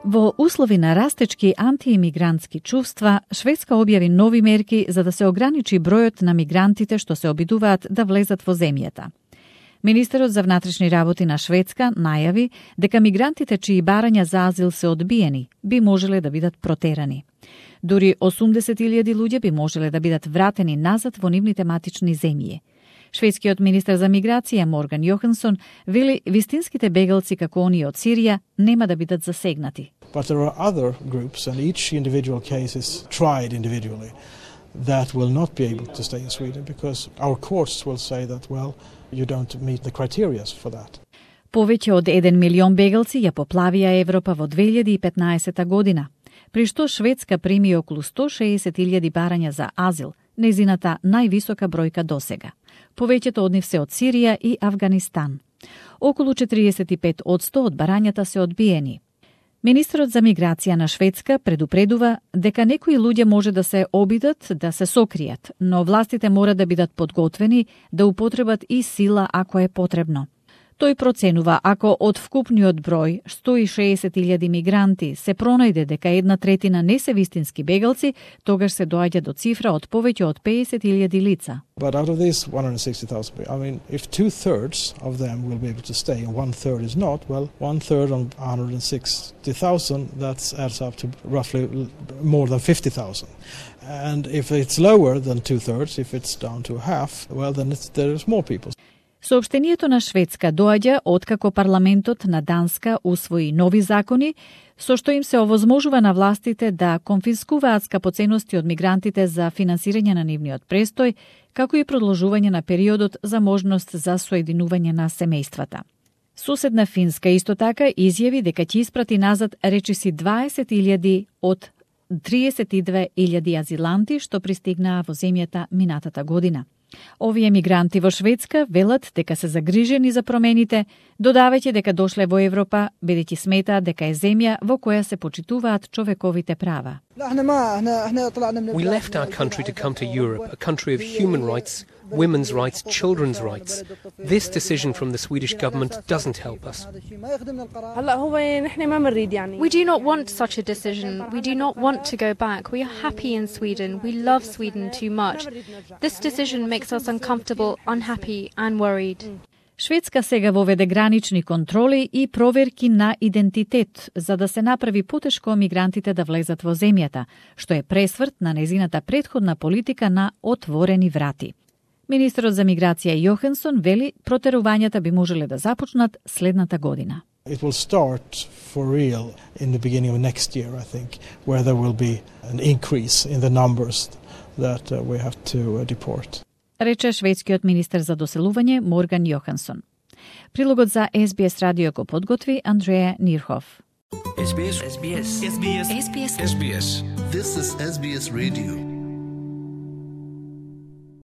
Во услови на растечки антиимигрантски чувства, Шведска објави нови мерки за да се ограничи бројот на мигрантите што се обидуваат да влезат во земјата. Министерот за внатрешни работи на Шведска најави дека мигрантите чии барања за азил се одбиени би можеле да бидат протерани. Дури 80.000 луѓе би можеле да бидат вратени назад во нивните матични земји. Шведскиот министер за миграција Морган Йохансон вели вистинските бегалци како оние од Сирија нема да бидат засегнати. But there are other groups and each individual case is tried individually that will not be able to stay in Sweden because our courts will say that well you don't meet the criteria for that. Повеќе од 1 милион бегалци ја поплавија Европа во 2015 година, при што Шведска прими околу 160.000 барања за азил, незината највисока бројка досега. Повеќето од нив се од Сирија и Авганистан. Околу 45% од барањата се одбиени. Министерот за миграција на Шведска предупредува дека некои луѓе може да се обидат да се сокријат, но властите мора да бидат подготвени да употребат и сила ако е потребно. Тој проценува ако од вкупниот број 160.000 мигранти се пронајде дека 1/3 не се вистински бегалци, тогаш се доаѓа до цифра од повеќе од 50.000 лица. But out of these 160,000, I mean, if 2/3 of them will be able to stay and 1/3 is not, well, 1/3 on 160,000, that adds up to roughly more than 50,000. And if it's lower than 2/3, if it's down to half, well, then there's more people. Соопштението на Шведска доаѓа откако парламентот на Данска усвои нови закони, со што им се овозможува на властите да конфискуваат скапоценности од мигрантите за финансирање на нивниот престој, како и продолжување на периодот за можност за соединување на семејствата. Соседна Финска исто така изјави дека ќе испрати назад речиси 20.000 од 32.000 азиланти што пристигнаа во земјата минатата година. Овие мигранти во Шведска велат дека се загрижени за промените, додавајќи дека дошле во Европа, бидејќи сметаат дека е земја во која се почитуваат човековите права. We left our country to come to Europe, a country of human rights, women's rights, children's rights. This decision from the Swedish government doesn't help us. We do not want such a decision. We do not want to go back. We are happy in Sweden. We love Sweden too much. This decision makes us uncomfortable, unhappy and worried. Шведска сега воведе гранични контроли и проверки на идентитет за да се направи потешко мигрантите да влезат во земјата, што е пресврт на незината претходна политика на отворени врати. Министерот за миграција Йохансон вели протерувањата би можеле да започнат следната година. It will start for real in the beginning of next year, I think, where there will be an increase in the numbers that we have to deport. Рече шведскиот министер за доселување Морган Йохансон. Прилогот за SBS радио го подготви Андреја Нирхов. SBS. This is SBS Radio.